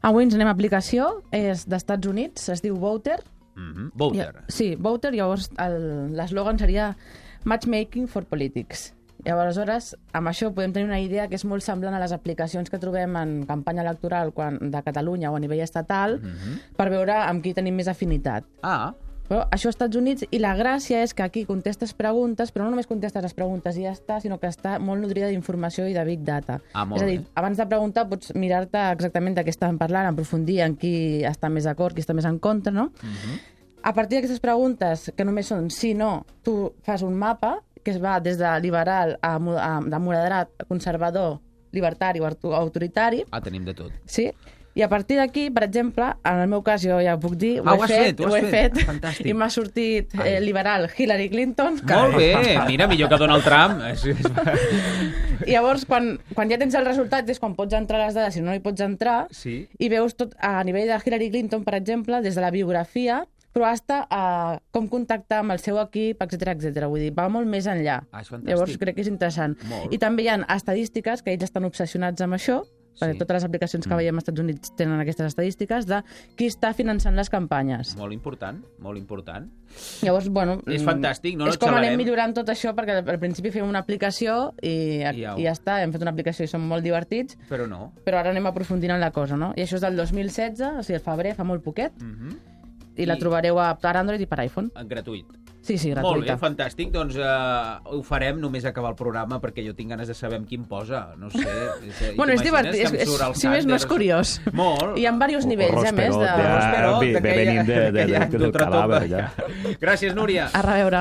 Avui ens anem a aplicació, és d'Estats Units, es diu Voter. Voter. Sí, Voter, llavors l'eslògan seria Matchmaking for Politics. Llavors, amb això podem tenir una idea que és molt semblant a les aplicacions que trobem en campanya electoral de Catalunya o a nivell estatal per veure amb qui tenim més afinitat. Però això als Estats Units, i la gràcia és que aquí contestes preguntes, però no només contestes les preguntes i ja està, sinó que està molt nodrida d'informació i de big data. Molt és a dir, abans de preguntar pots mirar-te exactament de què estàvem parlant, aprofundir en qui està més d'acord, qui està més en contra, no? A partir d'aquestes preguntes, que només són sí, no, tu fas un mapa que es va des de liberal de moderat, conservador, libertari o autoritari. Tenim de tot. Sí. I a partir d'aquí, per exemple, en el meu cas, jo ja ho puc dir, ho he fet. Fantàstic. I m'ha sortit liberal Hillary Clinton. Molt bé, mira, millor que Donald Trump. I llavors, quan ja tens el resultat, és quan pots entrar les dades, si no hi pots entrar, i veus tot a nivell de Hillary Clinton, per exemple, des de la biografia, però hasta com contactar amb el seu equip, etc. Vull dir, va molt més enllà. Llavors crec que és interessant. I també hi ha estadístiques, que ells estan obsessionats amb això, perquè totes les aplicacions que veiem als Estats Units tenen aquestes estadístiques de qui està finançant les campanyes. Molt important, molt important. Llavors, bueno... És fantàstic, no? És com anem millorant tot això, perquè al principi fèiem una aplicació i ja està, hem fet una aplicació i som molt divertits, però ara anem aprofundint en la cosa, no? I això és del 2016, o sigui, el febrer, fa molt poquet, i la trobareu per Android i per iPhone. Gratuït. Sí, gratuïta. Molt bé, fantàstic. Doncs ho farem només acabar el programa perquè jo tinc ganes de saber amb qui em posa. No sé. Bueno, és divertit. Si més no és curiós. Molt. Hi ha diversos nivells, a més. Venim del cadàver, ja. Gràcies, Núria. A reveure.